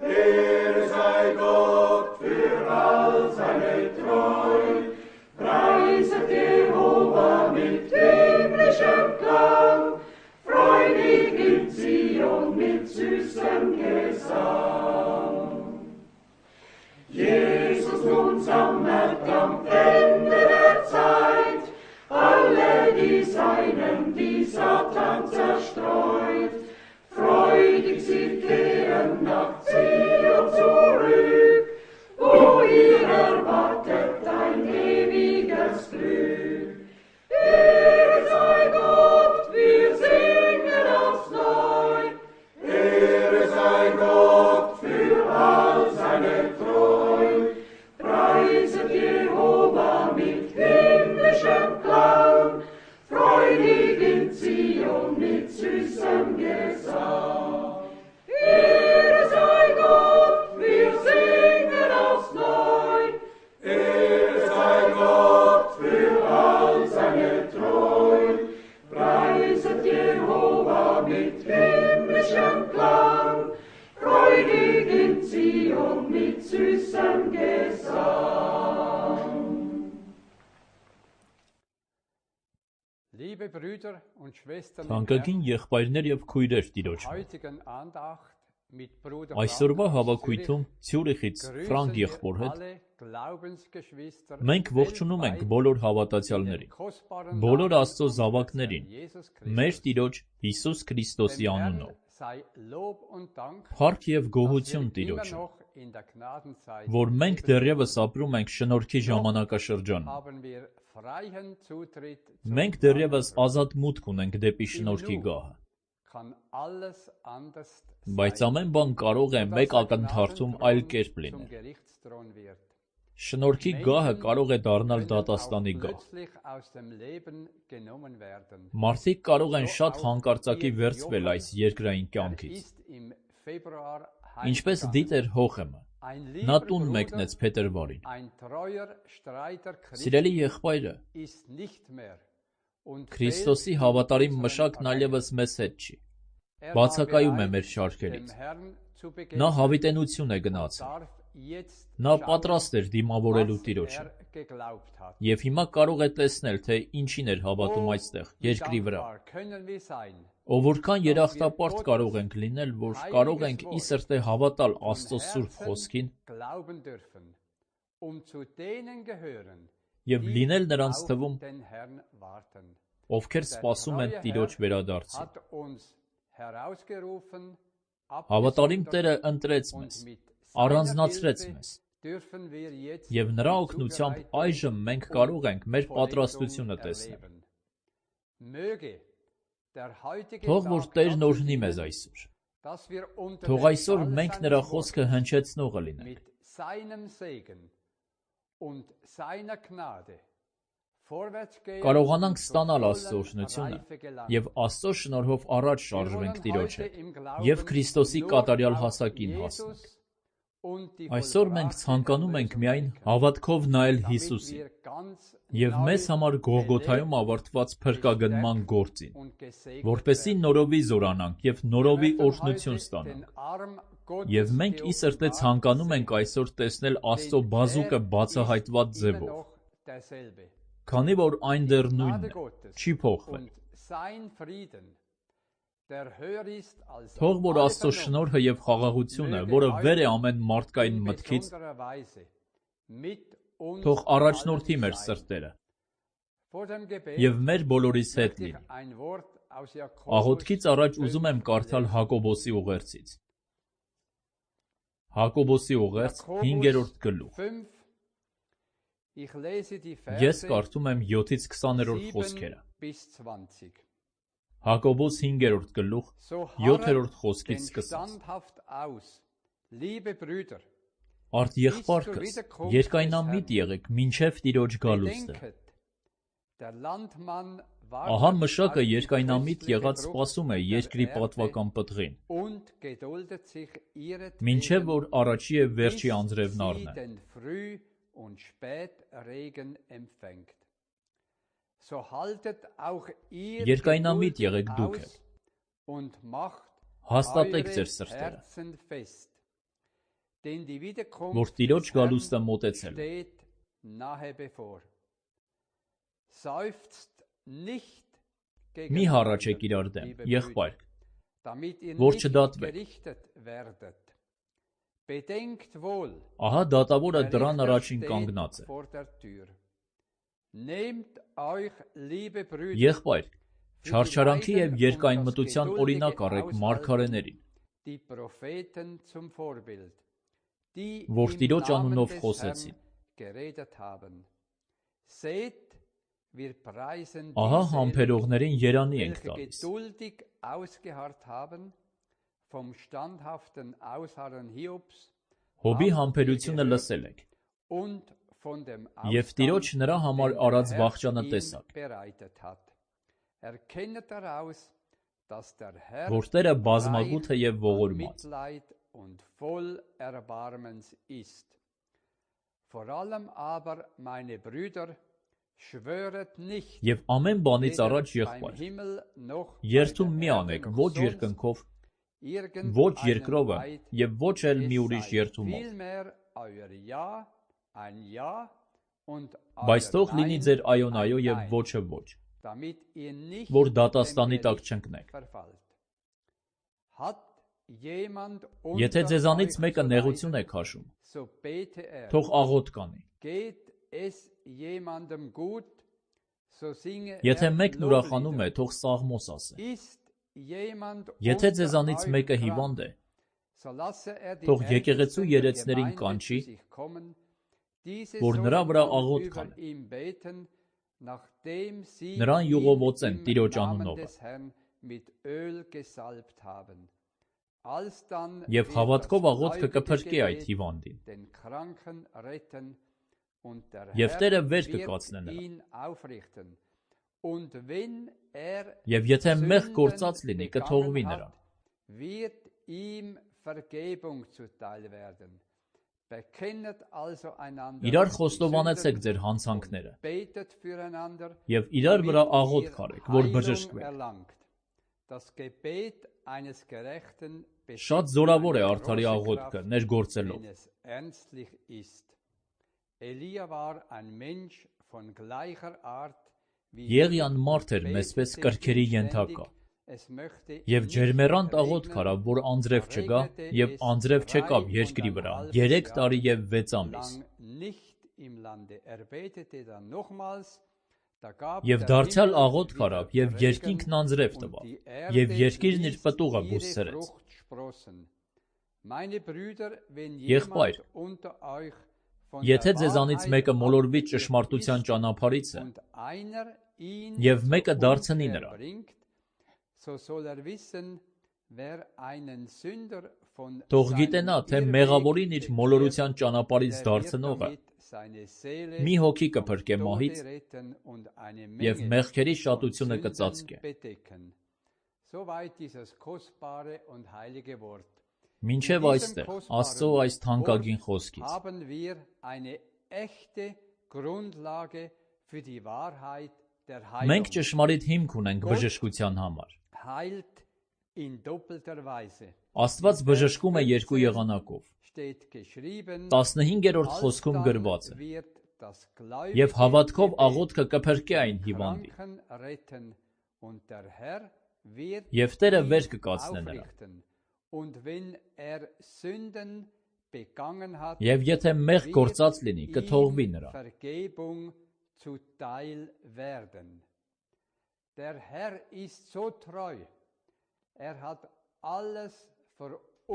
Ehre sei Gott Gesang. Jesus nun sammelt am Ende der Zeit alle die Seinen, die Satan zerstreut. Freudig sie kehren nach Zion zurück, wo ihr erwartet ein ewiges Glück. Ehre sei Gott, wir singen aufs Neu. Ehre sei Gott für all seine Treu. Preiset Jehova mit himmlischem Klang, freudig in Zion mit süßem Gesang. Ehre sei Gott, wir singen aufs Neu. Ehre sei Gott für all seine Treu. Preiset Jehova mit himmlischem Klang, freudig in Zion mit süßem Gesang. Թանկագին եղբայրներ եւ քույրեր Տիրոջ Այսօրվա հավաքույթում Ցյուրիխից Ֆրանկ եղբոր հետ մենք ողջունում ենք բոլոր հավատացյալներին, բոլոր Աստծո զավակներին, մեր Տիրոջ Հիսուս Քրիստոսի անունով։ Փառք եւ գոհություն Տիրոջը, որ մենք դեռևս ապրում ենք շնորհքի ժամանակաշրջանում։ Մենք դեռևս ազատ մուտք ունենք դեպի շնորհքի գահը։ Բայց ամեն բան կարող է մեկ ակնթարթում այլ կերպ լինել։ Շնորհքի գահը կարող է դառնալ դատաստանի գահ։ Մարդիկ կարող են շատ հանկարծակի վերցվել այս երկրային կյանքից։ Ինչպես դիտեր Հոխեմը, նա տուն մեկնեց փետրվարին։ Սիրելի եղբայրը, Քրիստոսի հավատարիմ մշակն այլևս մեզ հետ չի, բացակայում է մեր շարքերից։ Նա հավիտենություն է գնացել։ Նա պատրաստ էր դիմավորելու Տիրոջը։ Եվ հիմա կարող է տեսնել, թե ինչին էր հավատում այստեղ, երկրի վրա։ Ով որքան երախտապարտ կարող ենք լինել, որ կարող ենք ի սրտե հավատալ Աստծո սուրբ խոսքին և լինել նրանց թվում, ովքեր սպասում են Տիրոջ վերադարձին։ Հավատարիմ Տերը ընտրեց մեզ, առանձնացրեց մեզ, և նրա օգնությամբ այժմ մենք կարող ենք մեր պատրաստությունը տեսնել։ Թող որ Տերն օրհնի մեզ այսօր։ Թող այսօր մենք նրա խոսքը հնչեցնողը լինենք։ Կարողանանք ստանալ Աստծո օրհնությունը և Աստծո շնորհով առաջ շարժվենք Տիրոջ հետ և Քրիստոսի կատարյալ հասակին հասնենք։ Այսօր մենք ցանկանում ենք միայն հավատքով նայել Հիսուսին և մեզ համար Գողգոթայում ավարտված փրկագնման գործին, որպեսզի նորովի զորանանք և նորովի օրհնություն ստանանք։ Եվ մենք ի սրտե ցանկանում ենք այսօր տեսնել Աստծո բազուկը բացահայտված ձևով, քանի որ այն դեռ նույնն է, չի փոխվել։ Թող որ Աստծո շնորհը և խաղաղությունը, որը վեր է ամեն մարդկային մտքից, թող առաջնորդի մեր սրտերը և մեր բոլորիս հետ լինի։ Աղոթքից առաջ ուզում եմ կարդալ Հակոբոսի ուղերձից։ Հակոբոսի ուղերձ 5-րդ գլուխ։ Ես կարդում եմ 7-ից 20-րդ խոսքերը։ Հակոբոս 5-րդ գլուխ 7-րդ խոսքից սկսած։ Արդ եղբայրքս, երկայնամիտ եղեք մինչև Տիրոջ գալուստը։ Ահա մշակը երկայնամիտ եղած սպասում է երկրի պատվական պտղին, մինչև որ առաջի և վերջի անձրևն առնե։ Երկայնամիտ եղեք դուք էլ, հաստատեք ձեր սրտերը, որ Տիրոջ գալուստը մոտեցել է։ Մի հառաչեք իրար դեմ, եղբայրք, որ չդատվեք։ Ահա դատավորը դռան առաջին կանգնած է։ Եղբայր, չարչարանքի և երկայնմտության օրինակ առեք մարգարեներին, որ Տիրոջ անունով խոսեցին։ Ահա համբերողներին երանի ենք տալիս։ Հոբի համբերությունը լսել եք, և Տիրոջ նրա համար արած վախճանը տեսաք, որ Տերը բազմագութ է և ողորմած։ Եվ ամեն բանից առաջ, եղբայր, երդում մի անեք ոչ երկնքով, ոչ երկրովը և ոչ էլ մի ուրիշ երդումով, բայց թող լինի ձեր այոն այո և ոչը ոչ, որ դատաստանի տակ չընկնեք։ Եթե ձեզանից մեկը նեղություն է քաշում, թող աղոթք անի։ Եթե մեկն ուրախանում է, թող սաղմոս ասե։ Եթե ձեզանից մեկը հիվանդ է, թող եկեղեցու երեցներին կանչի, որ նրա վրա աղոթք անեն, նրան յուղովոծեն Տիրոջ անունովը, և հավատքով աղոթքը կփրկի այդ հիվանդին, և Տերը վեր կկացնե նրան, և եթե մեղք գործած լինի, կթողվի նրան։ Իրար խոստովանեցեք ձեր հանցանքները և իրար վրա աղոթք արեք, որ բժշկվեք։ Շատ զորավոր է արդարի աղոթքը ներգործելով։ Եղիան մարդ էր մեզպես կրքերի ենթակա, և ջերմեռանդ աղոթք արավ, որ անձրև չգա, և անձրև չեկավ երկրի վրա 3 տարի և 6 ամիս։ Եվ դարձյալ աղոթք արավ, և երկինքն անձրև տվավ, և երկիրն իր պտուղը բուսցրեց։ Եղբայր, եթե ձեզանից մեկը մոլորվի ճշմարտության ճանապարհիցը, և մեկը դարձնի նրան, թող գիտենա, թե մեղավորին իր մոլորության ճանապարհից դարձնողը մի հոգի կփրկե մահից, և մեղքերի շատությունը կծածկե։ Մինչև այստեղ Աստծո այս թանկագին խոսքից։ Մենք ճշմարիտ հիմք ունենք բժշկության համար։ Աստված բժշկում է երկու եղանակով։ 15-րդ խոսքում գրված է. «Եվ հավատքով աղոթքը կփրկի այն հիվանդին, և Տերը վեր կկացնե նրան։ Եվ եթե մեղք գործած լինի, կթողվի նրան»։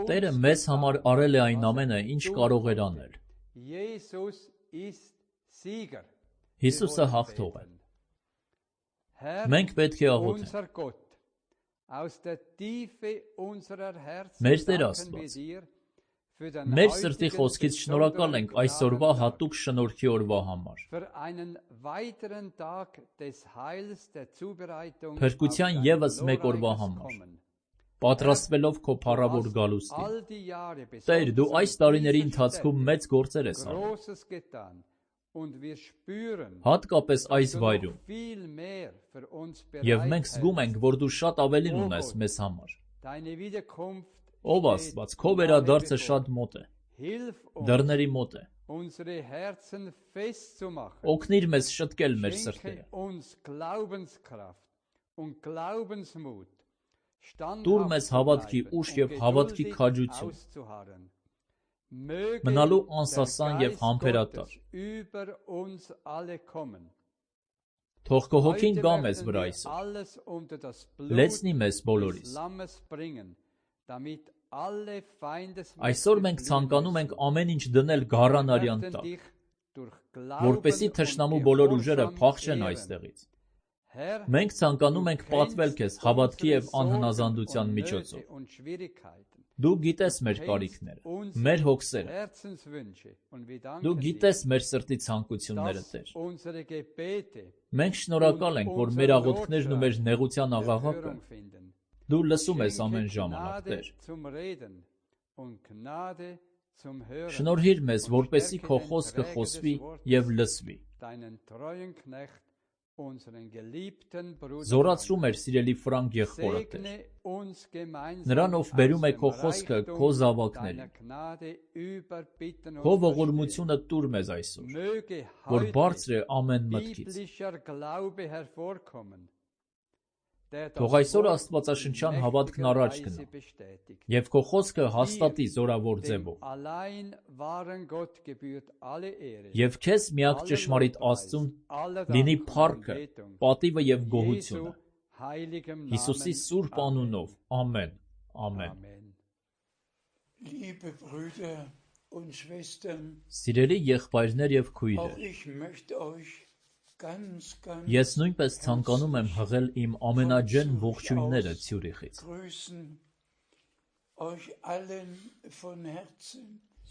Տերը մեզ համար արել է այն ամենը, ինչ կարող էր անել։ Հիսուսը հաղթող է։ Մենք պետք է աղոթենք. Մեր Տեր Աստված, մեր սրտի խոսքից շնորհակալ ենք այսօրվա հատուկ շնորհքի օրվա համար։ Փրկության ևս մեկ օրվա համար, պատրաստվելով քո փառավոր գալուստին։ Տեր, դու այս տարիների ընթացքում մեծ գործեր ես արել, հատկապես այս վայրում, և մենք զգում ենք, որ դու շատ ավելին ունես մեզ համար։ Ով Աստված, քո վերադարձը շատ մոտ է, դռների մոտ է։ Օգնիր մեզ շտկել մեր սրտերը։ Տուր մեզ հավատքի ուժ և հավատքի քաջություն, մնալու անսասան և համբերատար։ Թող քո հոգին գա մեզ վրա այսօր, լեցնի մեզ բոլորիս։ Այսօր մենք ցանկանում ենք ամեն ինչ դնել գառան արյան տակ, որպեսզի թշնամու բոլոր ուժերը փախչեն այստեղից։ Մենք ցանկանում ենք պատվել քեզ հավատքի և անհնազանդության միջոցով։ Դու գիտես մեր կարիքները, մեր հոգսերը։ Դու գիտես մեր սրտի ցանկությունները, Տեր։ Մենք շնորհակալ ենք, որ մեր աղոթքներն ու մեր նեղության աղաղակը դու լսում ես ամեն ժամանակ, Տեր։ Շնորհիր մեզ, որպեսզի քո խոսքը խոսվի և լսվի։ Զորացրու մեր սիրելի Ֆրանկ եղբորը, Տեր։ Նրան, ով բերում է քո խոսքը քո զավակներին։ Քո ողորմությունը տուր մեզ այսօր, որ բարձր է ամեն մտքից։ Թող այսօր աստվածաշնչյան հավատքն առաջ գնա և քո խոսքը հաստատի զորավոր ձևով։ Եվ քեզ միակ ճշմարիտ Աստծուն լինի փառքը, պատիվը և գոհությունը։ Հիսուսի սուրբ անունով, ամեն, ամեն։ Սիրելի եղբայրներ և քույրեր, ես նույնպես ցանկանում եմ հղել իմ ամենաջեն ողջույնները Ցյուրիխից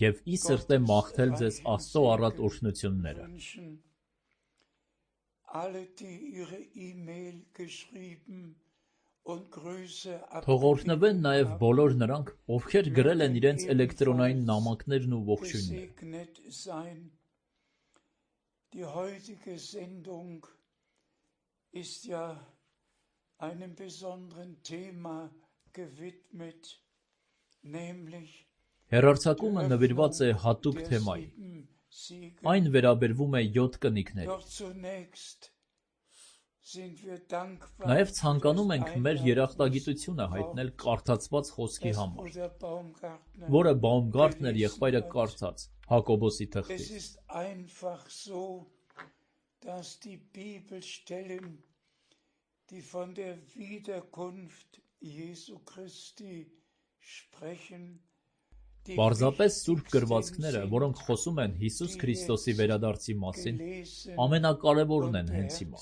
և ի սրտե մաղթել ձեզ Աստծո առատ օրհնությունները։ Թող օրհնվեն նաև բոլոր նրանք, ովքեր գրել են իրենց էլեկտրոնային նամակներն ու ողջույնները։ Հեռարձակումը նվիրված է հատուկ թեմայի։ Այն վերաբերվում է 7 կնիկներին։ Նաև ցանկանում ենք մեր երախտագիտությունը հայտնել կարդացված խոսքի համար, որը Բաումգարտներ եղբայրը կարդաց Հակոբոսի թղթից։ Պարզապես սուրբ գրվածքները, որոնք խոսում են Հիսուս Քրիստոսի վերադարձի մասին, ամենակարևորն են հենց հիմա,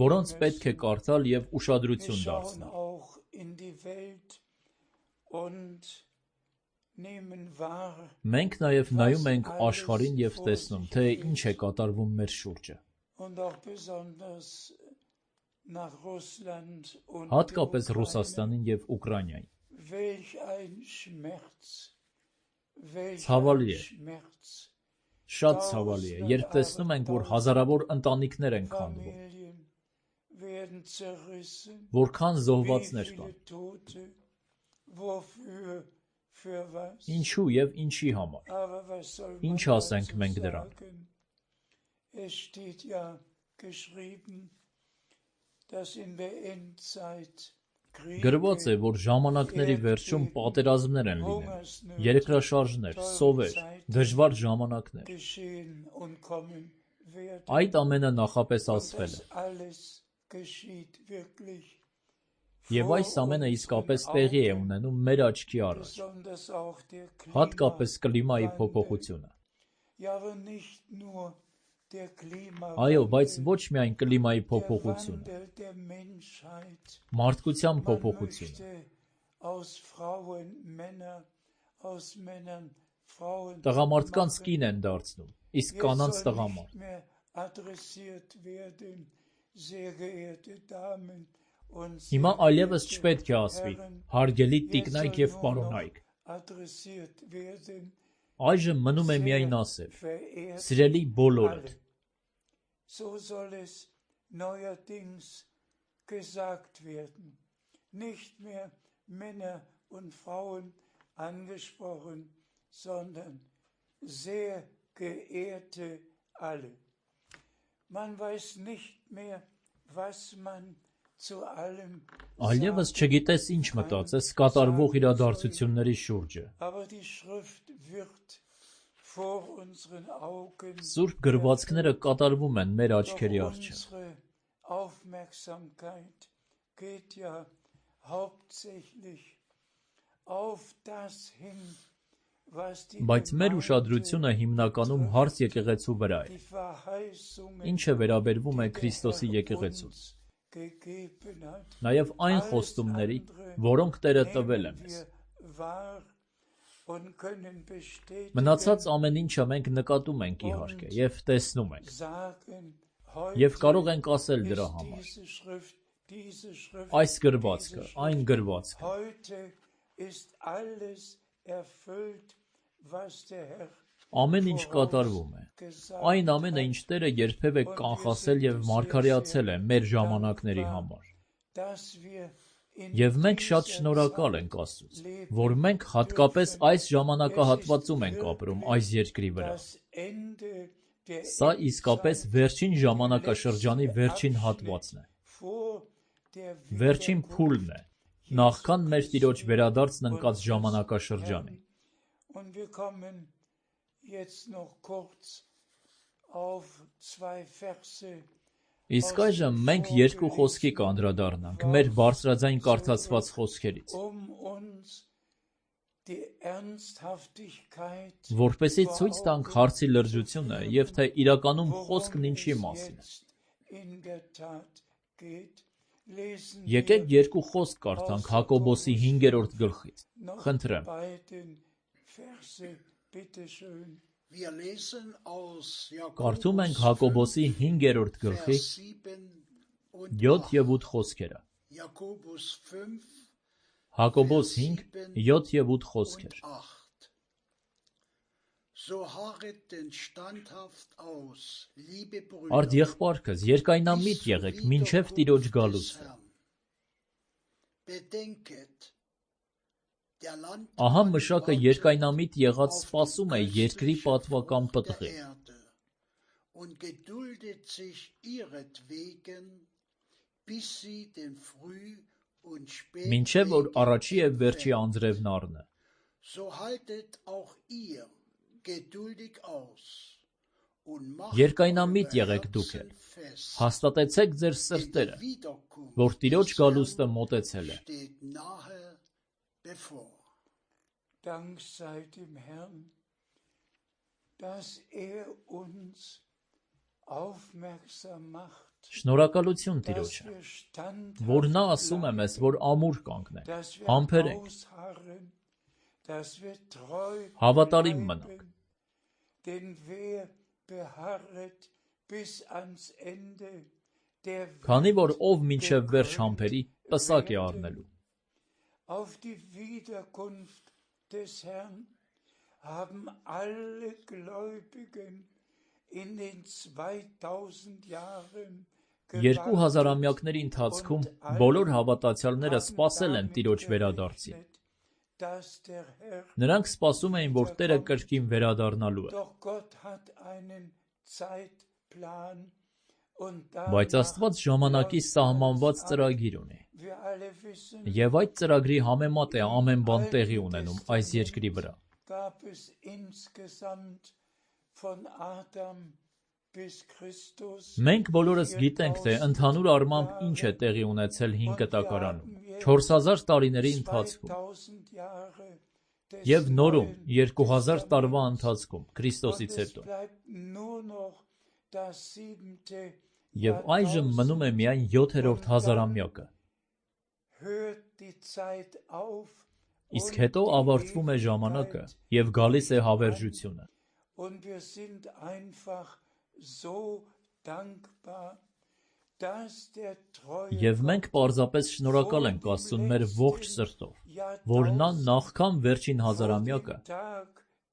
որոնց պետք է կարդալ և ուշադրություն դարձնել։ Մենք նաև նայում ենք աշխարհին և տեսնում, թե ինչ է կատարվում մեր շուրջը։ Հատկապես Ռուսաստանին և Ուկրաինային։ Ցավալի է, շատ ցավալի է, երբ տեսնում ենք, որ հազարավոր ընտանիքներ են քանդվում, որքան զոհվածներ կան։ Ինչու և ինչի համար։ Ինչ ասենք մենք դրանք։ Գրված է, որ ժամանակների վերջում պատերազմներ են լինելու, երկրաշարժներ, սովեր, դժվար ժամանակներ։ Այդ ամենը նախատեսվել է։ Եվ այս ամենը իսկապես տեղի է ունենում մեր աչքի առաջ, հատկապես կլիմայի փոփոխությունը։ Այո, բայց ոչ միայն կլիմայի փոփոխությունը, մարդկության փոփոխությունը։ Տղամարդկանց կին են դարձնում, իսկ կանանց տղամարդ։ Հիմա այլևս չպետք է ասվի հարգելի տիկնայք և պարոնայք։ Այժմ մնում է միայն ասել սիրելի բոլորդ։ Nicht mehr Männer und Frauen angesprochen, sondern sehr geehrte alle. Man weiß nicht mehr, was man Այլևս չգիտես ինչ մտածես կատարվող իրադարձությունների շուրջը։ Սուրբ գրվածքները կատարվում են մեր աչքերի առջև։ Բայց մեր ուշադրությունը հիմնականում հարց եկեղեցու վրա է։ Ինչը վերաբերվում է Քրիստոսի եկեղեցուն։ Նաև այն խոստումների, որոնք Տերը տվել է մեզ։ Մնացած ամեն ինչը մենք նկատում ենք իհարկե և տեսնում ենք։ Եվ կարող ենք ասել դրա համար. այս գրվածքը, այն գրվածքը։ Ամեն ինչ կատարվում է։ Այն ամենը, ինչ Տերը երբևէ կանխասել և մարգարեացել է մեր ժամանակների համար։ Եվ մենք շատ շնորհակալ ենք Աստծուց, որ մենք հատկապես այս ժամանակահատվածում ենք ապրում այս երկրի վրա։ Սա իսկապես վերջին ժամանակաշրջանի վերջին հատվածն է։ Վերջին փուլն է, նախքան մեր Տիրոջ վերադարձն ընկած ժամանակաշրջանի։ Իսկ այժմ մենք երկու խոսքի կանդրադառնանք մեր բարձրաձայն կարդացված խոսքերից, որպեսզի ցույց տանք հարցի լրջությունը և թե իրականում խոսքն ինչի մասին է։ Եկեք երկու խոսք կարդանք Հակոբոսի 5-րդ գլխից, խնդրեմ։ Կարդում ենք Հակոբոսի 5-րդ գլխի 7 և 8 խոսքերը։ Հակոբոս 5, 7 և 8 խոսքեր։ Արդ եղբայրքս, երկայնամիտ եղեք մինչև Տիրոջ գալուստը։ Ահա մշակը երկայնամիտ եղած սպասում է երկրի պատվական պտղին։ Մինչև որ առաջի և վերջի անձրևն առնե։ Երկայնամիտ եղեք դուք էլ, հաստատեցեք ձեր սրտերը, որ Տիրոջ գալուստը մոտեցել է։ Շնորհակալություն Տիրոջը, որ նա ասում է մեզ, որ ամուր կանգնենք, համբերենք, հավատարիմ մնանք։ Քանի որ ով մինչև վերջ համբերի, պսակ է առնելու։ Երկու հազարամյակների ընթացքում բոլոր հավատացյալները սպասել են Տիրոջ վերադարձին։ Նրանք սպասում էին, որ Տերը կրկին վերադառնալու է։ Բայց Աստված ժամանակի սահմանված ծրագիր ունի։ Եվ այդ ծրագրի համեմատ է ամեն բան տեղի ունենում այս երկրի վրա։ Մենք բոլորս գիտենք, թե ընդհանուր առմամբ ինչ է տեղի ունեցել հին կտակարանում 4000 տարիների ընթացքում և նորում 2000 տարվա ընթացքում Քրիստոսից հետո։ Եվ այժմ մնում է միայն 7-րդ հազարամյակը։ Իսկ հետո ավարտվում է ժամանակը և գալիս է հավերժությունը։ Եվ մենք պարզապես շնորհակալ ենք Աստծուն մեր ողջ սրտով, որ նա նախքան վերջին հազարամյակը,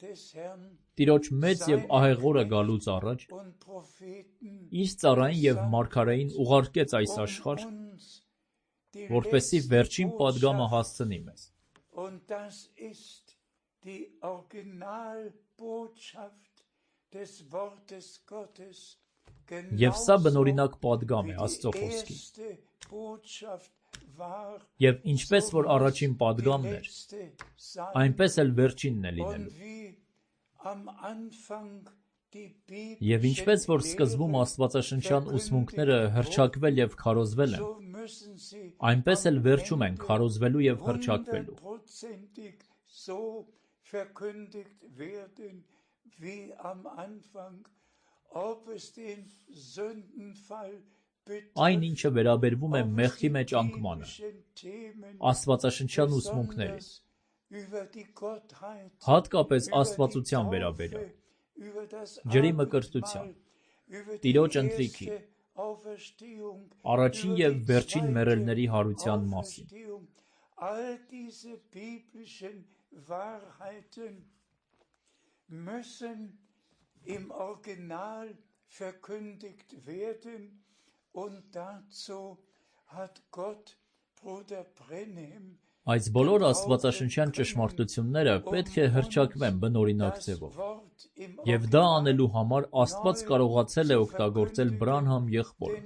Տիրոջ մեծ և ահեղ օրը գալուց առաջ, իր ծառային և մարգարեին ուղարկեց այս աշխարհ, որպեսզի վերջին պատգամը հասցնի մեզ։ Եվ սա բնօրինակ պատգամ է Աստծո խոսքին։ Եվ ինչպես որ առաջին պատգամն էր, այնպես էլ վերջինն է լինելու։ Եվ ինչպես որ սկզբում աստվածաշնչյան ուսմունքները հռչակվել և քարոզվել են, այնպես էլ վերջում են քարոզվելու և հռչակվելու։ Այն, ինչը վերաբերվում է մեղքի մեջ անկմանը, աստվածաշնչյան ուսմունքներին, հատկապես աստվածության վերաբերյալ, ջրի մկրտության, Տիրոջ ընթրիքի, առաջին և վերջին մեռելների հարության մասին։ Այս բոլոր աստվածաշնչյան ճշմարտությունները պետք է հռչակվեն բնօրինակ ձևով, և դա անելու համար Աստված կարողացել է օգտագործել Բրանհամ եղբորը,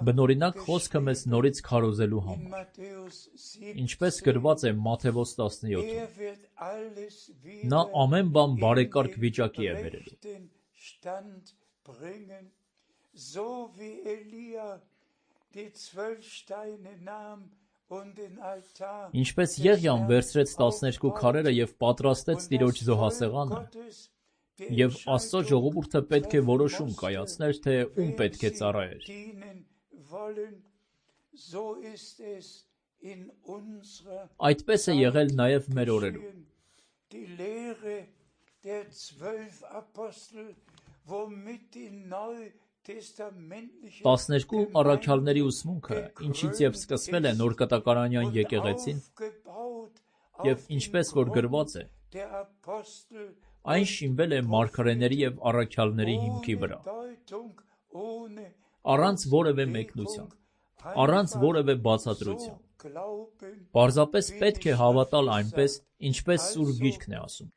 բնօրինակ խոսքը մեզ նորից քարոզելու համար, ինչպես գրված է Մատթեոս 17-ում. նա ամեն բան բարեկարգ վիճակի է բերելու։ Ինչպես Եղիան վերցրեց 12 քարերը և պատրաստեց Տիրոջ զոհասեղանը, և Աստծո ժողովուրդը պետք է որոշում կայացներ, թե ում պետք է ծառայեր։ Այդպես է եղել նաև մեր օրերում։ 12 առաքյալների ուսմունքը, ինչից և սկսվել է նորկտակարանյան եկեղեցին, և ինչպես որ գրված է, այն շինվել է մարգարեների և առաքյալների հիմքի վրա, առանց որևէ մեկնության, առանց որևէ բացատրության։ Պարզապես պետք է հավատալ այնպես, ինչպես Սուրբ Գիրքն է ասում։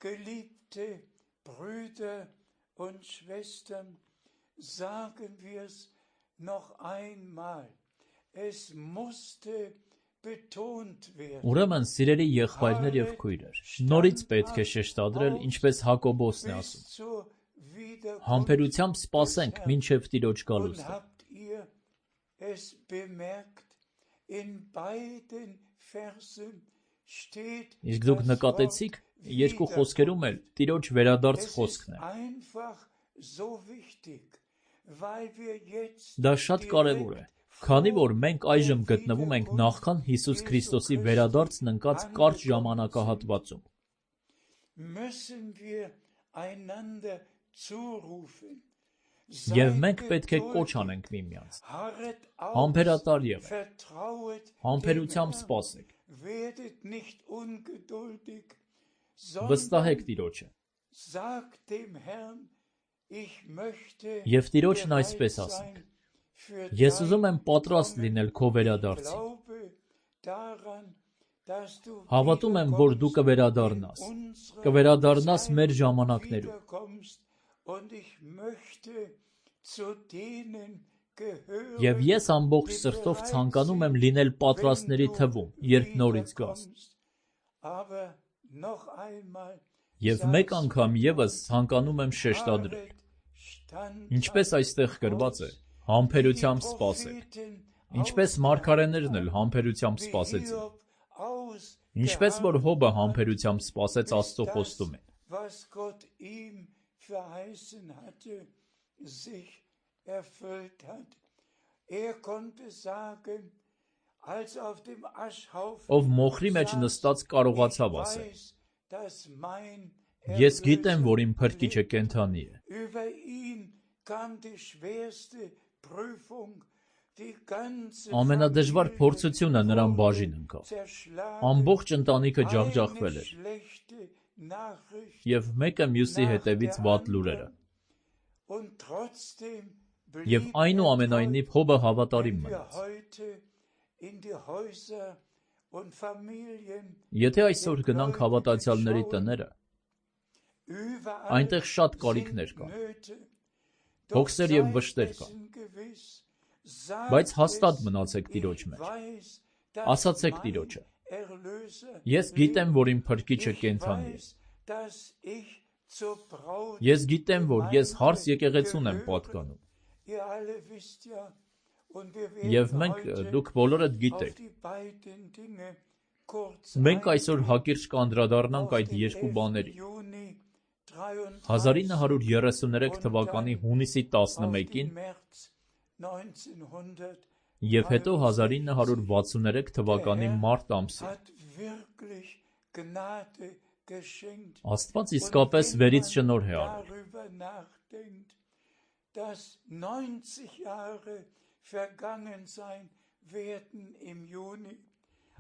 Ուրեմն, սիրելի եղբայրներ և քույրեր, նորից պետք է շեշտադրել, ինչպես Հակոբոսն է ասում. համբերությամբ սպասենք մինչև Տիրոջ գալուստը։ Իսկ դուք նկատեցի՞ք, երկու խոսքերում էլ Տիրոջ վերադարձ խոսքն է։ Դա շատ կարևոր է, քանի որ մենք այժմ գտնվում ենք նախքան Հիսուս Քրիստոսի վերադարձն ընկած կարճ ժամանակահատվածում։ Եվ մենք պետք է կոչ անենք միմյանց. համբերատար եղեք, համբերությամբ սպասեք, վստահեք Տիրոջը։ Եվ Տիրոջն այսպես ասենք. ես ուզում եմ պատրաստ լինել քո վերադարձին։ Հավատում եմ, որ դու կվերադառնաս մեր ժամանակներում։ Եվ ես ամբողջ սրտով ցանկանում եմ լինել պատրաստների թվում, երբ նորից գաս։ Եվ մեկ անգամ ևս ցանկանում եմ շեշտադրել. ինչպես այստեղ գրված է, համբերությամբ սպասեք, ինչպես մարգարեներն էլ համբերությամբ սպասեցին, ինչպես որ Հոբը համբերությամբ սպասեց Աստծո խոստումին։ Ով մոխրի մեջ նստած կարողացավ ասել. ես գիտեմ, որ իմ փրկիչը կենդանի է։ Ամենադժվար փորձությունը նրան բաժին ընկավ։ Ամբողջ ընտանիքը ջախջախվել էր։ Եվ մեկը մյուսի հետևից վատ լուրերը։ Եվ այնուամենայնիվ Հոբը հավատարիմ մնաց։ Եթե այսօր գնանք հավատացյալների տները, այնտեղ շատ կարիքներ կան։ հոգսեր և վշտեր կան, բայց հաստատ մնացեք Տիրոջ մեջ, ասացեք Տիրոջը. ես գիտեմ, որ իմ փրկիչը կենդանի է, ես գիտեմ, որ ես հարս եկեղեցուն եմ պատկանում, և մենք, դուք բոլորդ գիտեք, մենք այսօր հակիրճ կանդրադառնանք այդ երկու բաների. 1933 թվականի հունիսի 11-ին և հետո 1963 թվականի մարտ ամսին. Աստված իսկապես վերից շնորհ է արել.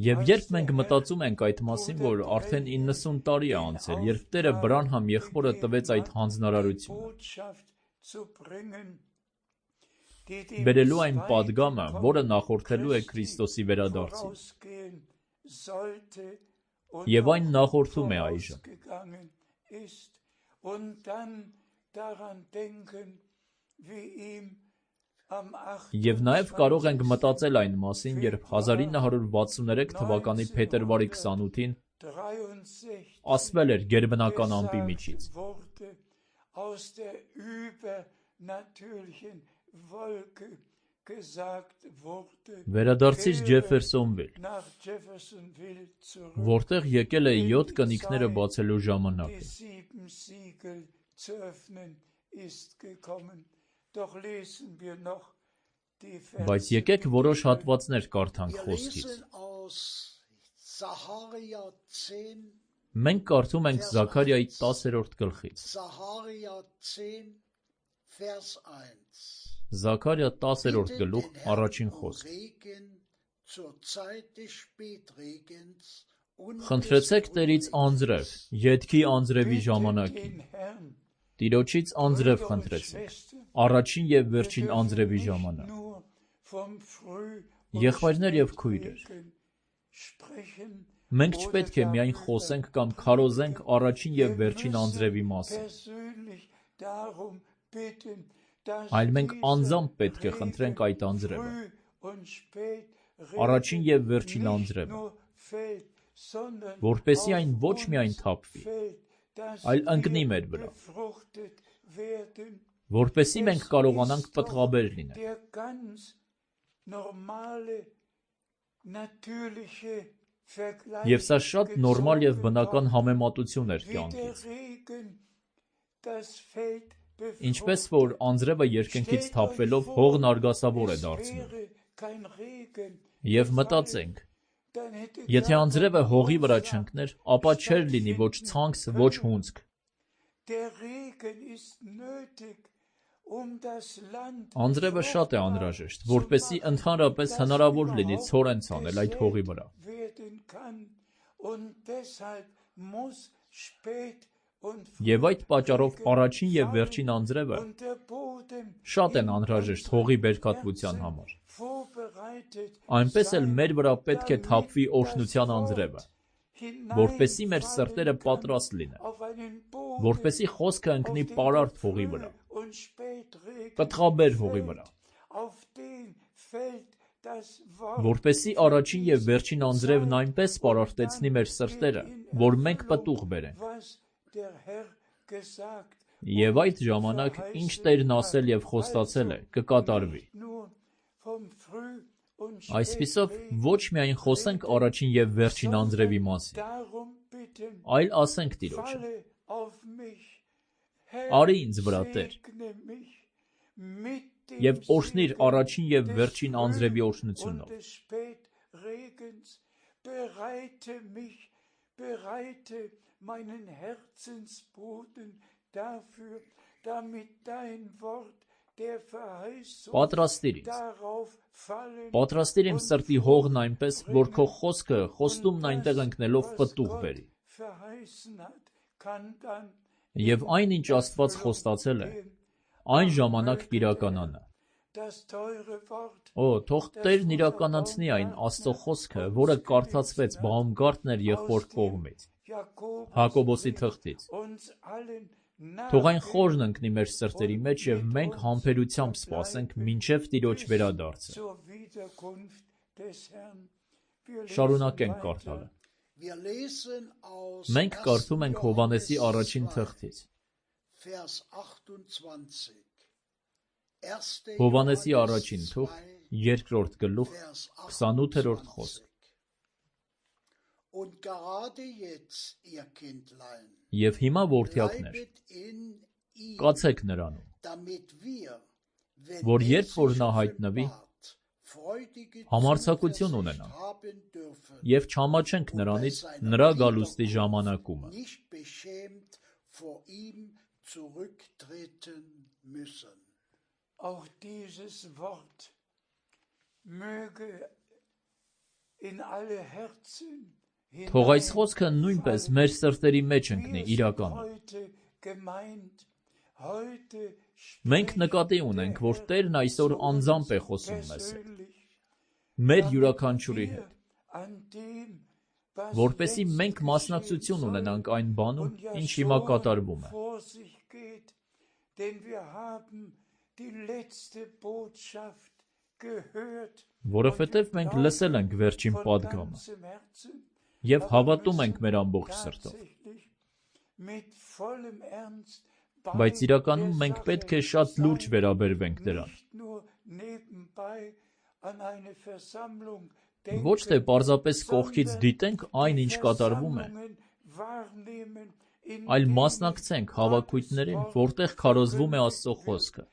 Եվ երբ մենք մտածում ենք այդ մասին, որ արդեն 90 տարի է անցել, երբ Տերը Բրանհամ եղբորը տվեց այդ հանձնարարությունը, բերելու այն պատգամը, որը նախորդելու է Քրիստոսի վերադարձին, և այն նախորդում է այժմ, և նաև կարող ենք մտածել այն մասին, երբ 1963 թվականի փետրվարի 28-ին ասվել էր գերբնական ամպի միջից. վերադարձիր Ջեֆերսոնվիլ, որտեղ եկել է 7 կնիկները բացելու ժամանակը. Բայց եկեք որոշ հատվածներ կարդանք խոսքից. մենք կարդում ենք Զաքարիայի 10-րդ գլխից. Զաքարիա 10-րդ գլուխ, առաջին խոսք. խնդրեցեք Տերից անձրև, ետքի անձրևի ժամանակին, Տիրոջից անձրև խնդրեցեք, առաջին և վերջին անձրևի ժամանակ. եղբայրներ և քույրեր, մենք չպետք է միայն խոսենք կամ քարոզենք առաջին և վերջին անձրևի մասին, այլ մենք անձամբ պետք է խնդրենք այդ անձրևը, առաջին և վերջին անձրևը, որպեսզի այն ոչ միայն թափվի, այլ ընկնի մեր վրա, որպեսզի մենք կարողանանք պտղաբեր լինել. Եվ սա շատ նորմալ և բնական համեմատություն էր կյանքից. ինչպես որ անձրևը երկնքից թափվելով հողն արգասավոր է դարձնում, և մտածենք, եթե անձրևը հողի վրա չընկներ, ապա չէր լինի ոչ ցանքս, ոչ հունձք. անձրևը շատ է անհրաժեշտ, որպեսզի ընդհանրապես հնարավոր լինի ցորեն ցանել այդ հողի վրա. և այդ պատճառով առաջին և վերջին անձրևը շատ են անհրաժեշտ հողի բերքատվության համար. այնպես էլ մեր վրա պետք է թափվի օրհնության անձրևը, որպեսզի մեր սրտերը պատրաստ լինեն, որպեսզի խոսքը ընկնի պարարտ հողի վրա, պտղաբեր հողի վրա, որպեսզի առաջին և վերջին անձրևն այնպես պարարտեցնի մեր սրտերը, որ մենք պտուղ բերենք, և այդ ժամանակ ինչ Տերն ասել և խոստացել է, կկատարվի. այսպիսով ոչ միայն խոսենք առաջին և վերջին անձրևի մասին, այլ ասենք Տիրոջը. արի ինձ վրա Տեր, և օրհնիր առաջին և վերջին անձրևի օրհնությունով, պատրաստիր ինձ, պատրաստիր իմ սրտի հողն այնպես, որ քո խոսքը խոստումն այնտեղ ընկնելով պտուղ բերի, և այն ինչ Աստված խոստացել է, այն ժամանակ կիրականանա. թող Տերն իրականացնի այն Աստծո խոսքը, որը կարդացվեց Բաումգարտներ եղբոր կողմից, Հակոբոսի թղթից, Թող այն խորն ընկնի մեր սրտերի մեջ և մենք համբերությամբ սպասենք մինչև Տիրոջ վերադարձը։ Շարունակենք կարդալը։ Մենք կարդում ենք Հովհաննեսի առաջին թղթից։ Հովհաննեսի առաջին թուղթ, 2-րդ գլուխ, 28-րդ խոսք։ Եվ հիմա որդյակներ, կացեք նրանում, որ երբ որ նա հայտնվի, համարձակություն ունենանք և չամաչենք նրանից նրա գալուստի ժամանակումը։ Auch dieses Wort möge in alle Herzen Թող այս խոսքը նույնպես մեր սրտերի մեջ ընկնի իրականում։ Մենք նկատի ունենք, որ Տերն այսօր անձամբ է խոսում մեզ հետ, մեր յուրաքանչյուրի հետ, որպեսզի մենք մասնակցություն ունենանք այն բանում, ինչ հիմա կատարվում է։ Որովհետև մենք լսել ենք վերջին պատգամը և հավատում ենք մեր ամբողջ սրտով։ Բայց իրականում մենք պետք է շատ լուրջ վերաբերվենք դրան։ Ոչ թե պարզապես կողքից դիտենք այն, ինչ կատարվում է, այլ մասնակցենք հավաքույթներին, որտեղ քարոզվում է Աստծո խոսքը։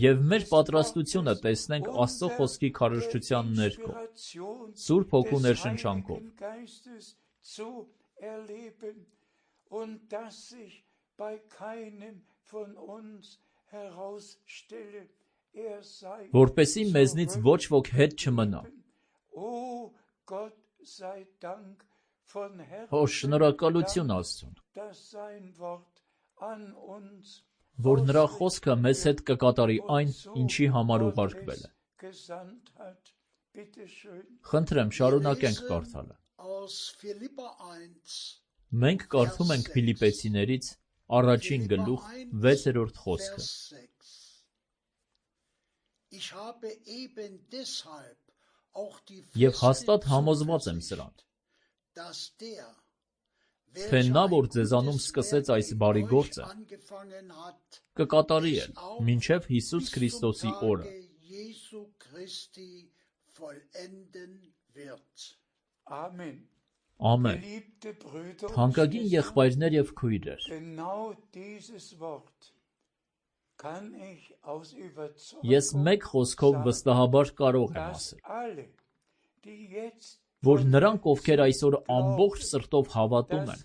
Եվ մեր պատրաստությունը տեսնենք Աստծո խոսքի քարոզչության ներքո, Սուրբ Հոգու ներշնչանքով։ Որպեսզի մեզնից ոչ ոք հետ չմնա։ Շնորհակալություն Աստծուն, որ նրա խոսքը մեզ հետ կկատարի այն, ինչի համար ուղարկվել է։ Խնդրեմ, շարունակենք կարդալը։ Մենք կարդում ենք Փիլիպպեցիներից առաջին գլուխ 6-րդ խոսքը։ Եվ հաստատ համոզված եմ սրան, թե նա, որ ձեզանում սկսեց այս բարի գործը, կկատարի էլ մինչև Հիսուս Քրիստոսի օրը։ Ամեն։ Թանկագին եղբայրներ և քույրեր, ես մեկ խոսքով վստահաբար կարող եմ ասել, որ նրանք, ովքեր այսօր ամբողջ սրտով հավատում են,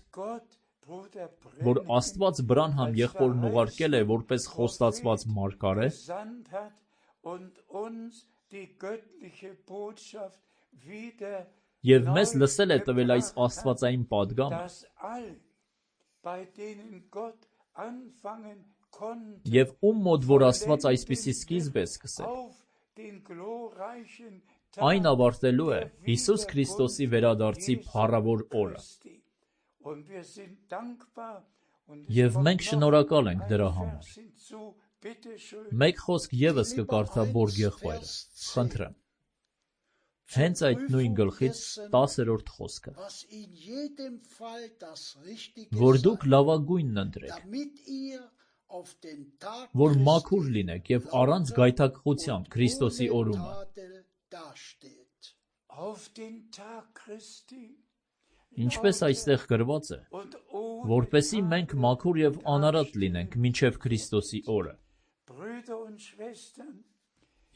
որ Աստված Բրանհամ եղբորն ուղարկել է որպես խոստացված մարգարե, և մեզ լսել է տվել այս աստվածային պատգամը, և ում մոտ որ Աստված այսպիսի սկիզբ է սկսել, այն ավարտելու է Հիսուս Քրիստոսի վերադարձի փառավոր օրը։ Եվ մենք շնորհակալ ենք դրա համար։ Մեկ խոսք ևս կկարդա Բորգ եղբայրը, խնդրեմ։ Հենց այդ նույն գլխից 10-րդ խոսքը, որ դուք լավագույնն ընտրեք, որ մաքուր լինեք և առանց գայթակղության Քրիստոսի օրումը։ Ինչպես այստեղ գրված է, որպեսզի մենք մաքուր և անարատ լինենք մինչև Քրիստոսի օրը։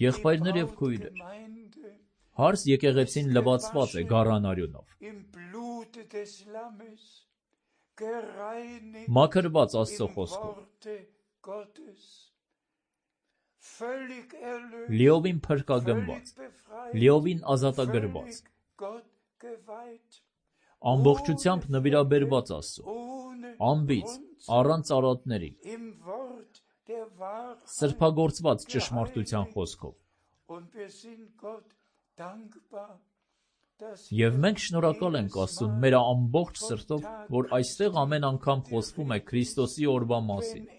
Եղբայրներ և քույրեր, հարս եկեղեցին լվացված է գառանարյունով, մաքրված Աստծո խոսքով, լիովին փրկագնված, լիովին ազատագրված, ամբողջությամբ նվիրաբերված Աստծուն, անբիծ, առանց արատների, սրբագործված ճշմարտության խոսքով։ Եվ մենք շնորհակալ ենք Աստծուն մեր ամբողջ սրտով, որ այստեղ ամեն անգամ խոսվում է Քրիստոսի օրվա մասին,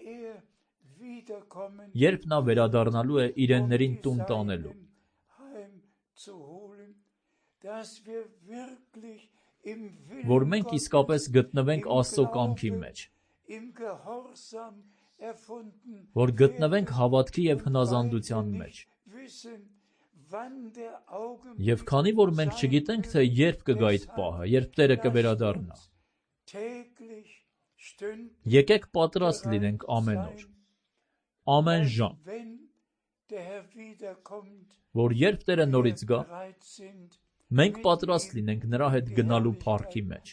երբ նա վերադառնալու է իրեններին տուն տանելու, որ մենք իսկապես գտնվենք Աստծո կամքի մեջ, որ գտնվենք հավատքի և հնազանդության մեջ։ Եվ քանի որ մենք չգիտենք, թե երբ կգա այդ պահը, երբ Տերը կվերադառնա, եկեք պատրաստ լինենք ամեն օր, ամեն ժամ, որ երբ Տերը նորից գա, մենք պատրաստ լինենք նրա հետ գնալու փառքի մեջ։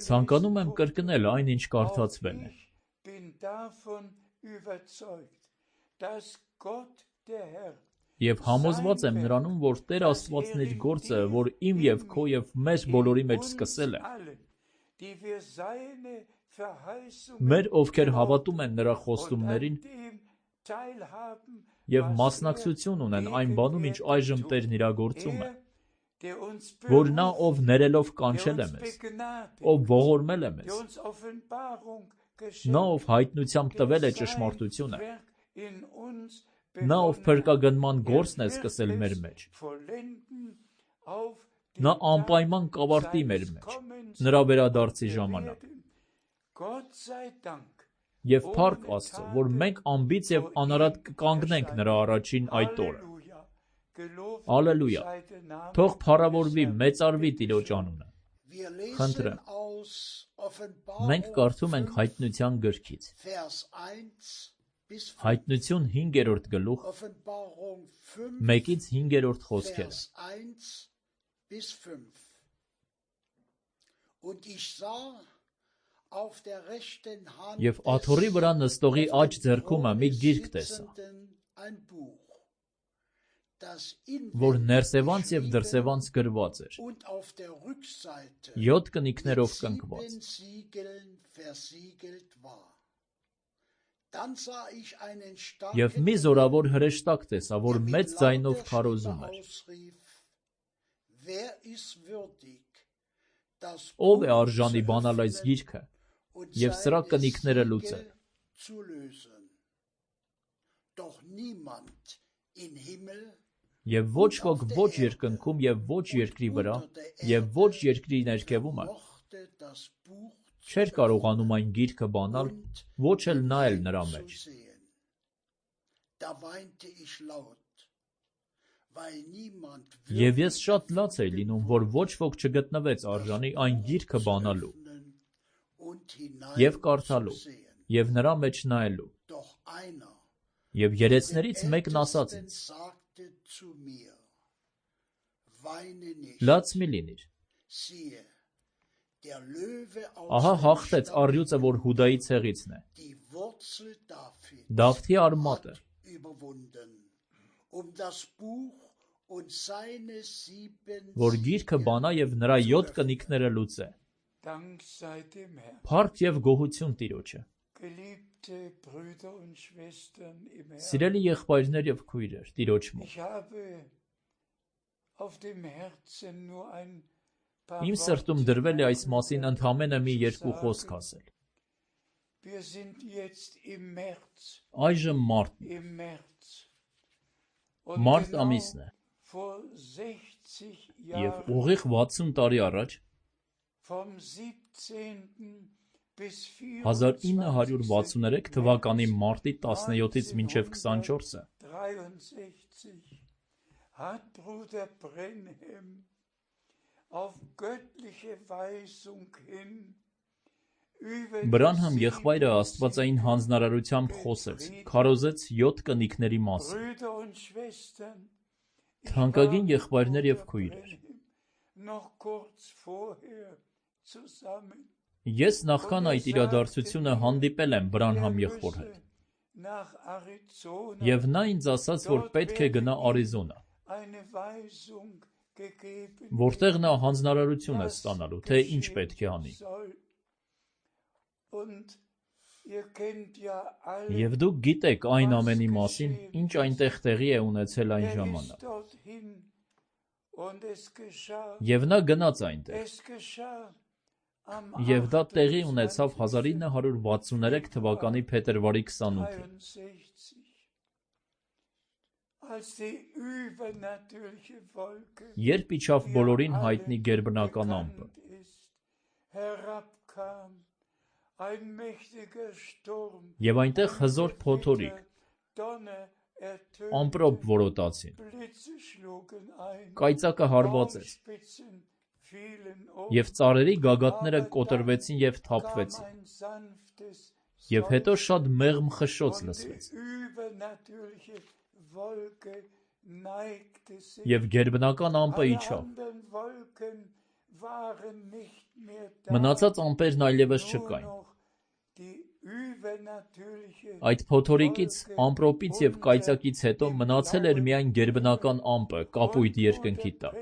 Ցանկանում եմ կրկնել այն, ինչ կարդացվել է։ Եվ համոզված եմ նրանում, որ Տեր Աստվածն իր գործը, որ իմ և քո և մեր բոլորի մեջ սկսել է, մեր, ովքեր հավատում են նրա խոստումներին և մասնակցություն ունեն այն բանում, ինչ այժմ Տերն իրագործում է, որ նա, ով ներելով կանչել է մեզ, ով ողորմել է մեզ, նա, ով հայտնությամբ տվել է ճշմարտությունը, նա, ով փրկագնման գործն է սկսել մեր մեջ, նա անպայման կավարտի մեր մեջ, նրա վերադարձի ժամանակ։ Եվ փառք Աստծո, որ մենք անբիծ և անարատ կկանգնենք նրա առաջին այդ օրը։ Ալելույա, թող փառավորվի, մեծարվի Տիրոջ անունը։ Խնդրեմ, մենք կարդում ենք Հայտնության գրքից, Հայտնություն 5-րդ գլուխ, 1-ից 5-րդ խոսքերը։ Եվ աթոռի վրա նստողի աջ ձեռքումը մի գիրք տեսա, որ ներսևանց և դրսևանց գրված էր, 7 կնիքներով կնքված։ Եվ մի զորավոր հրեշտակ տեսա, որ մեծ ձայնով քարոզում էր. Ո՞վ է արժանի բանալ այս գիրքը և սրա կնիքները լուծել։ Եվ ոչ ոք ոչ երկնքում և ոչ երկրի վրա և ոչ երկրի ներքևումը չէր կարողանում այն գիրքը բանալ, ոչ էլ նայել նրա մեջ։ Եվ ես շատ լաց էի լինում, որ ոչ ոք չգտնվեց արժանի այն գիրքը բանալու և կարդալու և նրա մեջ նայելու։ Եվ երեցներից մեկն ասաց ինձ. լաց մի լինիր, ահա հաղթեց առյուծը, որ Հուդայի ցեղիցն է, Դավթի արմատը, որ գիրքը բանա և նրա 7 կնիքները լուծե։ Փառք և գոհություն Տիրոջը։ Սիրելի եղբայրներ և քույրեր, Տիրոջ մոտ, իմ սրտում դրվել է այս մասին ընդամենը մի 2 խոսք ասել։ Այժմ մարտ ամիսն է, և ուղիղ 60 տարի առաջ, 1963 թվականի մարտի 17-ից մինչև 24-ը, Բրանհամ եղբայրը աստվածային հանձնարարությամբ խոսեց, քարոզեց 7 կնիքների մասին։ Թանկագին եղբայրներ և քույրեր, ես նախքան այդ իրադարձությունը հանդիպել եմ Բրանհամ եղբոր հետ, և նա ինձ ասաց, որ պետք է գնա Արիզոնա, որտեղ նա հանձնարարություն է ստանալու, թե ինչ պետք է անի։ Եվ դուք գիտեք այն ամենի մասին, ինչ այնտեղ տեղի է ունեցել այն ժամանակ։ Եվ նա գնաց այնտեղ։ Եվ դա տեղի ունեցավ 1963 թվականի փետրվարի 28-ին։ Երբ իջավ բոլորին հայտնի գերբնական ամպը, եւ այնտեղ հզոր փոթորիկ, ամպրոպ որոտացին, կայծակը հարվածեց, եւ ծառերի գագաթները կոտրվեցին եւ թափվեցին, եւ հետո շատ մեղմ խշշոց լսվեց, եւ գերբնական ամպը իջավ, մնացած ամպերն այլևս չկային։ Այդ փոթորիկից, ամպրոպից եւ կայծակից հետո մնացել էր միայն գերբնական ամպը կապույտ երկնքի տակ։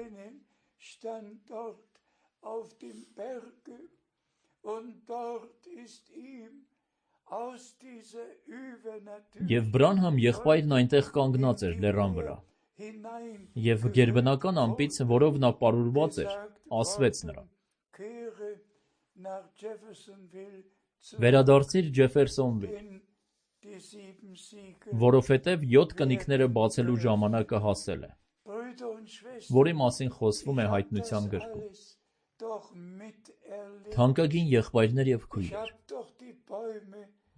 Եվ Բրանհամ եղբայրն այնտեղ կանգնած էր լեռան վրա, եւ գերբնական ամպից, որով նա պարուրված էր, ասվեց նրան. «Վերադարձիր Ջեֆերսոնվիլ, որովհետև 7 կնիկները բացելու ժամանակը հասել է, որի մասին խոսվում է Հայտնության գրքում։ Թանկագին եղբայրներ եւ քույրեր,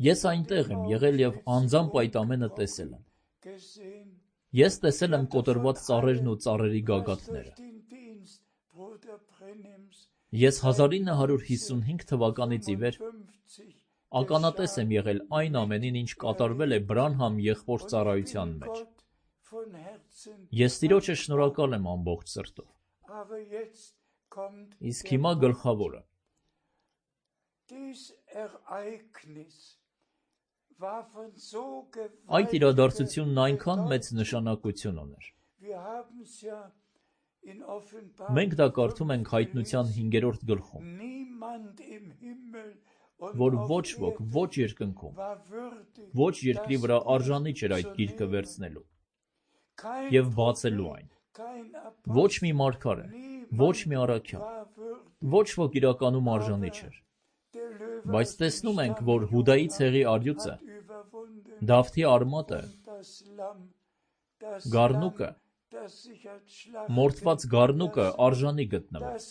ես այնտեղ եմ եղել եւ անձամբ այդ ամենը տեսել եմ։ Ես տեսել եմ կոտրված ծառերն ու ծառերի գագաթները։ Ես 1955 թվականից ի վեր ականատես եմ եղել այն ամենին, ինչ կատարվել է Բրանհամ եղբոր ծառայության մեջ։ Ես Տիրոջը շնորհակալ եմ ամբողջ սրտով։ Իսկ հիմա գլխավորը։ Այդ իրադարձությունն այնքան մեծ նշանակություն ուներ։ Մենք դա կարդում ենք Հայտնության 5-րդ գլխում, որ ոչ ոք, ոչ երկնքում, ոչ երկրի վրա արժանի չէր այդ գիրքը վերցնելու եւ բացելու այն։ Ոչ մի մարգարե, ոչ մի առաքյալ, ոչ ոք իրականում արժանի չէր։ Բայց տեսնում ենք, որ Հուդայի ցեղի առյուծը, Դավթի արմատը, գառնուկը, մորթված գառնուկը արժանի գտնվեց։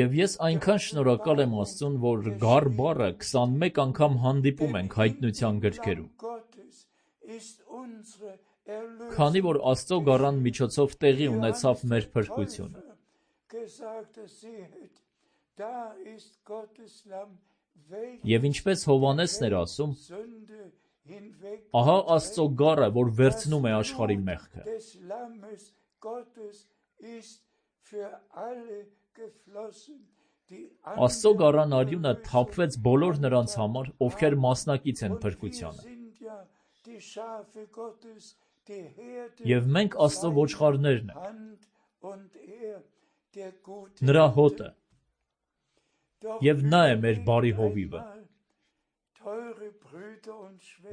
Եվ ես այնքան շնորհակալ եմ Աստծուն, որ գառ բառը 21 անգամ հանդիպում ենք Հայտնության գրքերում։ Քանի որ Աստծո գառան միջոցով տեղի ունեցավ մեր փրկությունը։ Եվ ինչպես Հովհաննեսն էր ասում, ահա Աստծո գառը, որ վերցնում է աշխարհի մեղքը։ Աստծո գառան արյունը թափվեց բոլոր նրանց համար, ովքեր մասնակից են փրկությանը։ Եվ մենք Աստծո ոչխարներն ենք, նրա հոտը, եւ նա է մեր բարի հովիվը։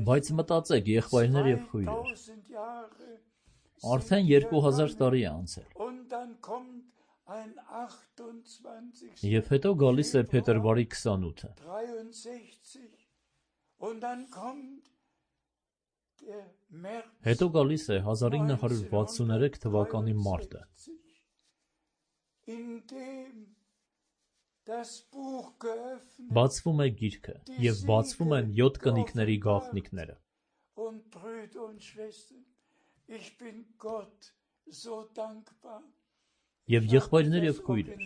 Բայց մտածեք, եղբայրներ եւ քույրեր, արդեն 2000 տարի է անցել։ Եվ հետո գալիս է փետրվարի 28-ը։ Հետո գալիս է 1963 թվականի մարտը։ Բացվում է գիրքը եւ բացվում են 7 կնիկների գաղտնիքները։ Եվ եղբայրներ եւ քույրեր,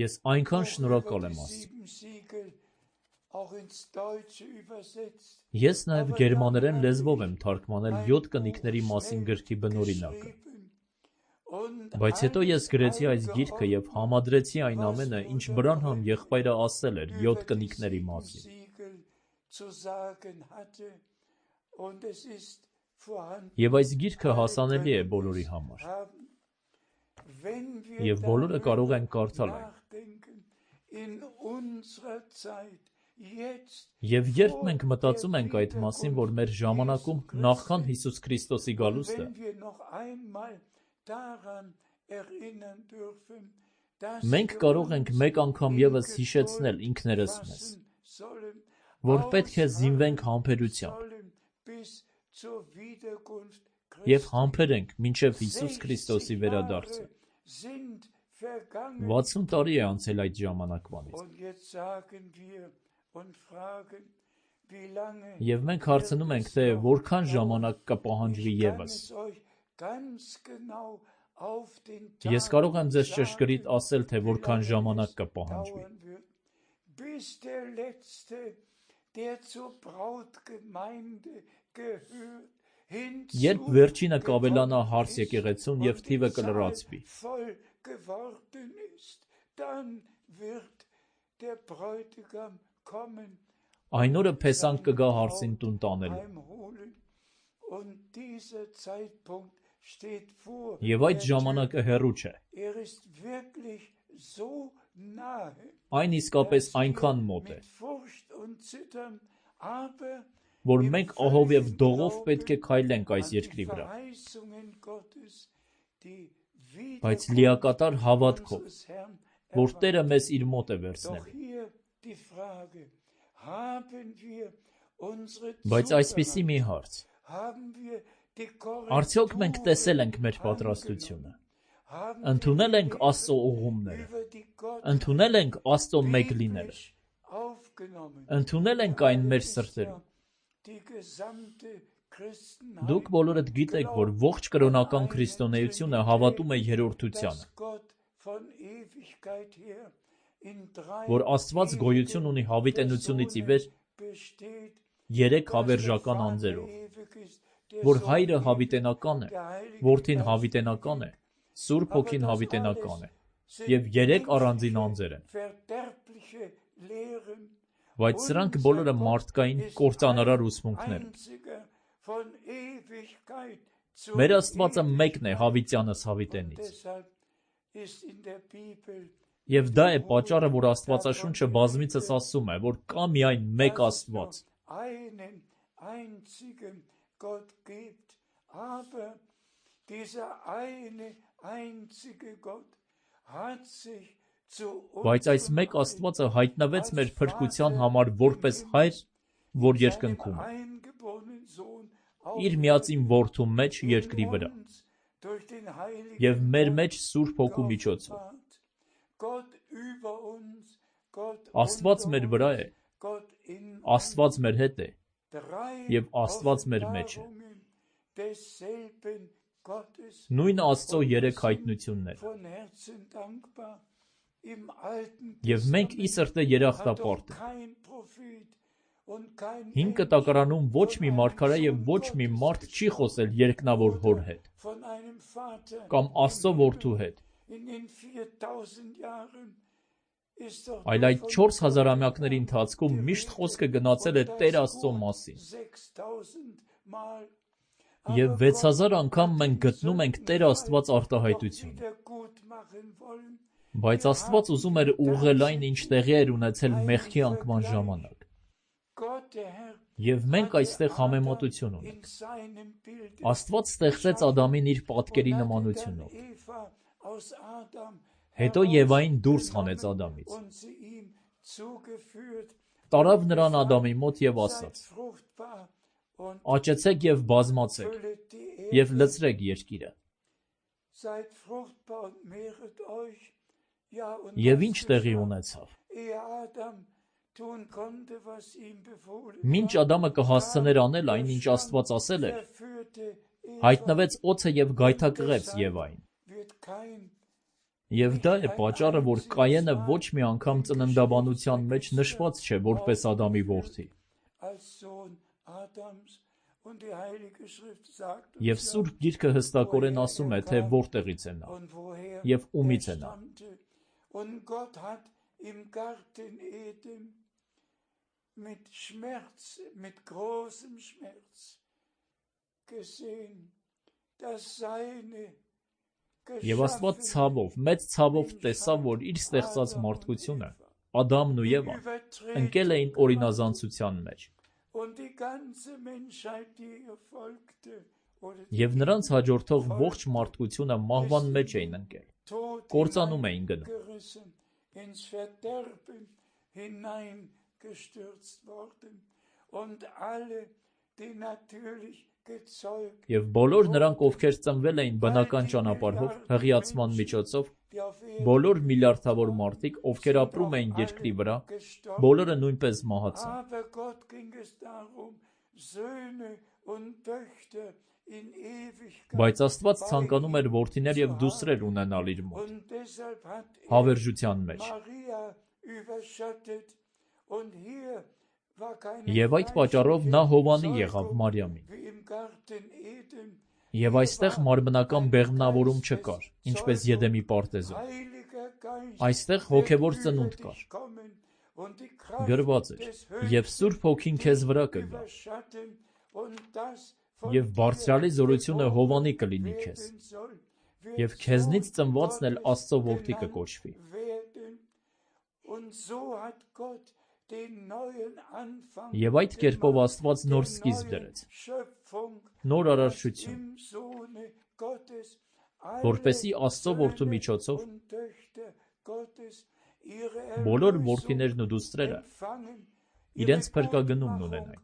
ես այնքան շնորհակալ եմ Աստծուն։ Ես նաեւ գերմաներեն լեզվով եմ թարգմանել 7 կնիկների մասին գրքի բնօրինակը։ Բայց հետո ես գրեցի այս գիրքը եւ համադրեցի այն ամենը, ինչ Բրանհամ եղբայրը ասել էր 7 կնիկների մասին։ Եվ այս գիրքը հասանելի է բոլորի համար։ Եվ բոլորը կարող են կարդալ այն։ Եվ երբ մենք մտածում ենք այդ մասին, որ մեր ժամանակում նախքան Հիսուս Քրիստոսի գալուստը, մենք կարող ենք մեկ անգամ ևս հիշեցնել ինքներս մեզ, որ պետք է զինվենք համբերությամբ և համբերենք մինչև Հիսուս Քրիստոսի վերադարձը։ 60 տարի է անցել այդ ժամանակվանից։ Եվ մենք հարցնում ենք, թե որքան ժամանակ կպահանջվի ևս։ Ես կարող եմ ձեզ ճշգրիտ ասել, թե որքան ժամանակ կպահանջվի։ Երբ վերջինը կավելանա հարս եկեղեցուն և թիվը կլրացվի։ Այն օրը փեսանք կգա հարսին տուն տանելու։ Եվ այդ ժամանակը հեռու չէ։ Այն իսկապես այնքան մոտ է, որ մենք ահով և դողով պետք է քայլենք այս երկրի վրա, բայց լիակատար հավատքով, որ Տերը մեզ իր մոտ է վերցնելու։ Բայց այսպիսի մի հարց. արդյոք մենք տեսել ենք մեր պատրաստությունը, ընդունել ենք Աստծո ուղղումները, ընդունել ենք Աստծո մեկ լինելը, ընդունել ենք այն մեր սրտերում։ Դուք բոլորդ գիտեք, որ ողջ կրոնական քրիստոնեությունը հավատում է երրորդությանը, որ Աստված գոյություն ունի հավիտենությունից ի վեր 3 հավերժական անձերով, որ Հայրը հավիտենական է, Որդին հավիտենական է, Սուրբ Հոգին հավիտենական է, և 3 առանձին անձեր են։ Բայց սրանք բոլորը մարդկային կործանարար ուսմունքներ են։ Մեր Աստվածը մեկն է հավիտյանս հավիտենից։ Եվ դա է պատճառը, որ Աստվածաշունչը բազմիցս ասում է, որ կա միայն մեկ Աստված։ Բայց այս մեկ Աստվածը հայտնվեց մեր փրկության համար որպես Հայր, որ երկնքում է, իր միածին Որդու մեջ երկրի վրա, և մեր մեջ Սուրբ Հոգու միջոցով։ Աստված մեր վրա է, Աստված մեր հետ է, և Աստված մեր մեջ է։ Նույն Աստծո 3 հայտնությունները։ Եվ մենք ի սրտե երախտապարտ ենք։ Հին Կտակարանում ոչ մի մարգարե և ոչ մի մարդ չի խոսել երկնավոր Հոր հետ, կամ Աստծո Որդու հետ, այլ այդ 4000-ամյակների ընթացքում միշտ խոսքը գնացել է Տեր Աստծո մասին։ Եվ 6000 անգամ մենք գտնում ենք Տեր Աստված արտահայտությունը։ Բայց Աստված ուզում էր ուղղել այն, ինչ տեղի էր ունեցել մեղքի անկման ժամանակ։ Եվ մենք այստեղ համեմատություն ունենք։ Աստված ստեղծեց Ադամին իր պատկերի նմանությունով։ Հետո Եվային դուրս հանեց Ադամից։ Տարավ նրան Ադամի մոտ և ասաց. «Աճեցեք և բազմացեք, և լցրեք երկիրը»։ Եվ ինչ տեղի ունեցավ։ Մինչ Ադամը կհասցներ անել այն, ինչ Աստված ասել էր, հայտնվեց օձը և գայթակղեց Եվային։ Եվ դա է պատճառը, որ Կայենը ոչ մի անգամ ծննդաբանության մեջ նշված չէ որպես Ադամի որդի։ Եվ Սուրբ Գիրքը հստակորեն ասում է, թե որտեղից է նա, և ումից է նա։ Եվ Աստված ցավով, մեծ ցավով տեսավ, որ իր ստեղծած մարդկությունը, Ադամն ու Եվան, ընկել էին օրինազանցության մեջ։ Եվ նրանց հաջորդող ողջ մարդկությունը մահվան մեջ էին ընկել, կործանում էին գնում։ Եվ բոլոր նրանք, ովքեր ծնվել էին բնական ճանապարհով, հղիացման միջոցով, բոլոր միլիարդավոր մարդիկ, ովքեր ապրում էին երկրի վրա, բոլորը նույնպես մահացան։ Բայց Աստված ցանկանում էր որդիներ և դուստրեր ունենալ իր մոտ, հավերժության մեջ։ Եվ այդ պատճառով նա հովանի եղավ Մարիամին։ Եվ այստեղ մարմնական բեղմնավորում չկար, ինչպես Եդեմի պարտեզում։ Այստեղ հոգևոր ծնունդ կար։ Գրված էր. «Եվ Սուրբ Հոգին քեզ վրա կգա, և բարձրալի զորությունը հովանի կլինի քեզ, և քեզնից ծնվածն էլ Աստծո որդի կկոչվի»։ Եվ այդ կերպով Աստված նոր սկիզբ դրեց, նոր արարչություն, որպեսզի Աստծո որդու միջոցով բոլոր որդիներն ու դուստրերը իրենց փրկագնումն ունենային։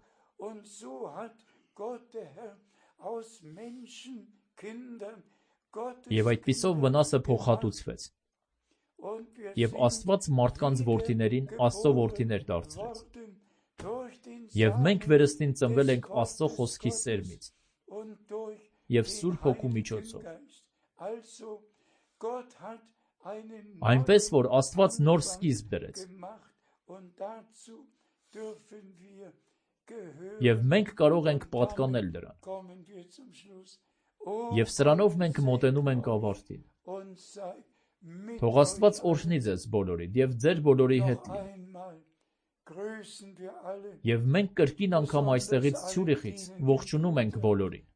Եվ այդպիսով վնասը փոխհատուցվեց, և Աստված մարդկանց որդիներին Աստծո որդիներ դարձրեց։ Եվ մենք վերստին ծնվել ենք Աստծո խոսքի սերմից և Սուրբ Հոգու միջոցով։ Այնպես, որ Աստված նոր սկիզբ դրեց։ Եվ մենք կարող ենք պատկանել դրան։ Եվ սրանով մենք մոտենում ենք ավարտին։ Թող Աստված օրհնի ձեզ բոլորիդ և ձեր բոլորի հետ լինի։ Եվ մենք կրկին անգամ այստեղից Ցյուրիխից ողջունում ենք բոլորին։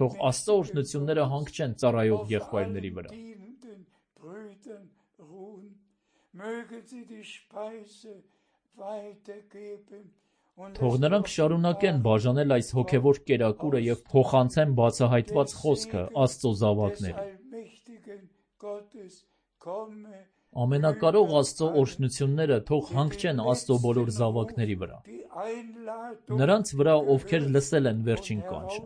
Թող Աստծո օրհնությունները հանգչեն ծառայող եղբայրների վրա։ Թող նրանք շարունակեն բաժանել այս հոգևոր կերակուրը և փոխանցեն բացահայտված խոսքը Աստծո զավակներին։ Ամենակարող Աստծո օրհնությունները թող հանգչեն Աստծո բոլոր զավակների վրա, նրանց վրա, ովքեր լսել են վերջին կանչը,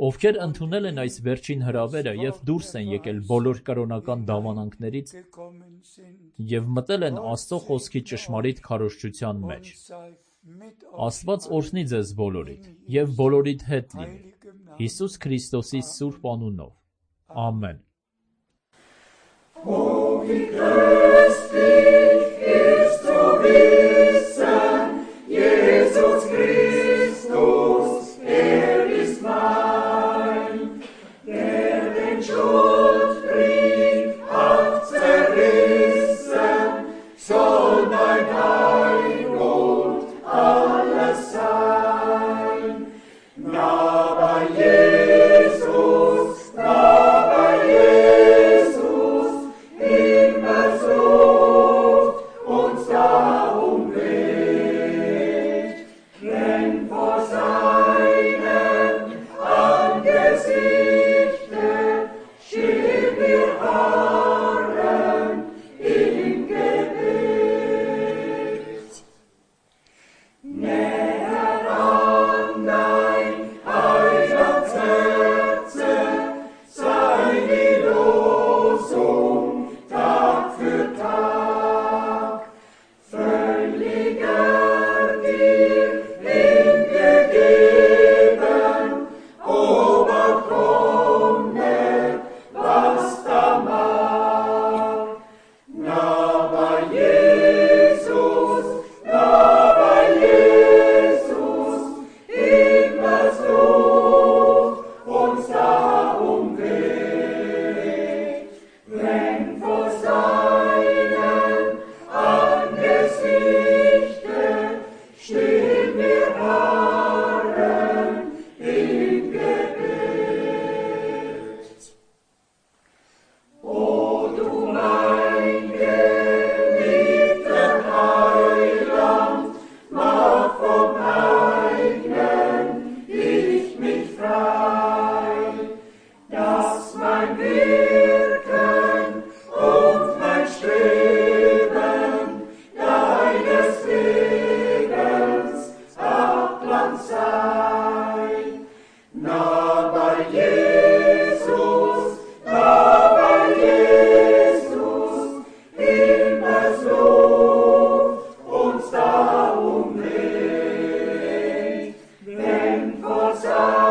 ովքեր ընդունել են այս վերջին հրավերը և դուրս են եկել բոլոր կրոնական դավանանքներից և մտել են Աստծո խոսքի ճշմարիտ քարոզչության մեջ։ Աստված օրհնի ձեզ բոլորիդ և բոլորիդ հետ լինի, Հիսուս Քրիստոսի սուրբ անունով։ Ամեն։ Uns da Wasser